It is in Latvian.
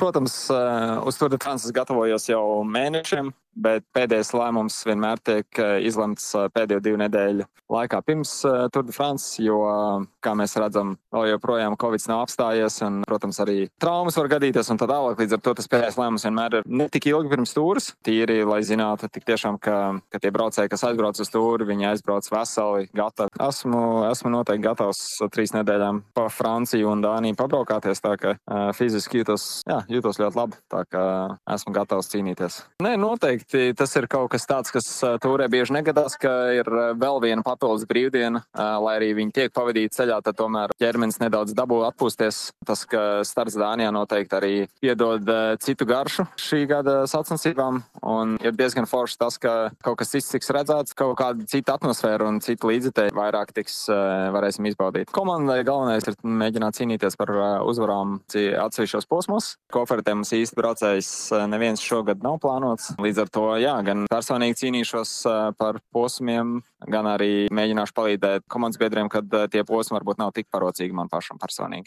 Protams, uz Tour de France es gatavojos jau mēnešiem, bet pēdējais lēmums vienmēr tiek izlemts pēdējo 2 nedēļu laikā pirms Tour de France, jo, kā mēs redzam, vēl joprojām Covid nav apstājies un, protams, arī traumas var gadīties un tā tālāk. Līdz ar to tas pēdējais lēmums vienmēr ir ne tik ilgi pirms tūras. Tīri, lai zinātu tik tiešām, ka tie braucēji, kas aizbrauc uz tūru, viņi aizbrauc veseli, gatavi. Esmu noteikti gatavs 3 nedēļām pa Franciju un Dāniju pabraukāties, tā ka fiziski jūtos ļoti labi, tā ka esmu gatavs cīnīties. Nē, noteikti tas ir kaut kas tāds, kas tūrē bieži negadās, ka ir vēl viena papildus brīvdiena, lai arī viņi tiek pavadīti ceļā, tad tomēr ķermenis nedaudz dabū atpūsties. Tas, ka starts Dānijā noteikti arī piedod citu garšu šī gada sacensībām, un ir diezgan forši tas, ka kaut kas cits tiks redzēts, kaut kāda cita atmosfēra un cita līdzekļi vairāk varēsim izbaudīt. Komandai galvenais ir mēģināt cīnīties par uzvarām atsevišķos posmos. Kofertē mums īsti braucējs neviens šogad nav plānots. Līdz ar to, gan personīgi cīnīšos par posmiem, gan arī mēģināšu palīdzēt komandas biedriem, kad tie posmi varbūt nav tik parocīgi man pašam personīgi.